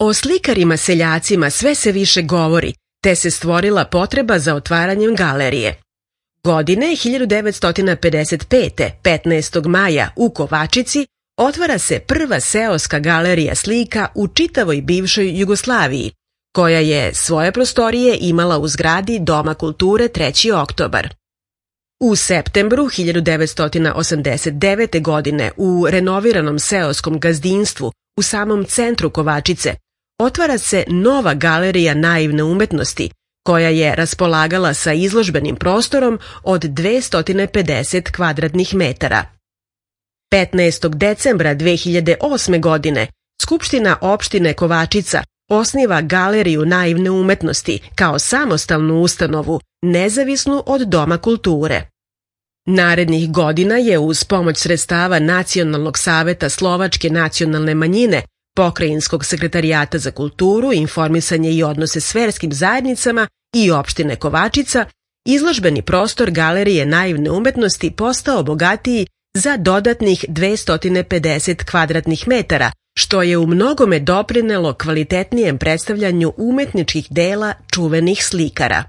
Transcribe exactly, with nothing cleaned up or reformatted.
O slikarima seljacima sve se više govori, te se stvorila potreba za otvaranjem galerije. Godine hiljadu devetsto pedeset pete. petnaestog maja u Kovačici otvara se prva seoska galerija slika u čitavoj bivšoj Jugoslaviji, koja je svoje prostorije imala u zgradi Doma kulture treći oktobar. U septembru hiljadu devetsto osamdeset devete. godine u renoviranom seoskom gazdinstvu u samom centru Kovačice otvara se nova galerija naivne umetnosti, koja je raspolagala sa izložbenim prostorom od dvesta pedeset kvadratnih metara. petnaestog decembra dve hiljade osme. godine Skupština opštine Kovačica osniva Galeriju naivne umetnosti kao samostalnu ustanovu, nezavisnu od Doma kulture. Narednih godina je uz pomoć sredstava Nacionalnog saveta slovačke nacionalne manjine, Pokrajinskog sekretarijata za kulturu, informisanje i odnose s verskim zajednicama i opštine Kovačica, izložbeni prostor Galerije naivne umetnosti postao bogatiji za dodatnih dvesta pedeset kvadratnih metara, što je u mnogome doprinelo kvalitetnijem predstavljanju umetničkih dela čuvenih slikara.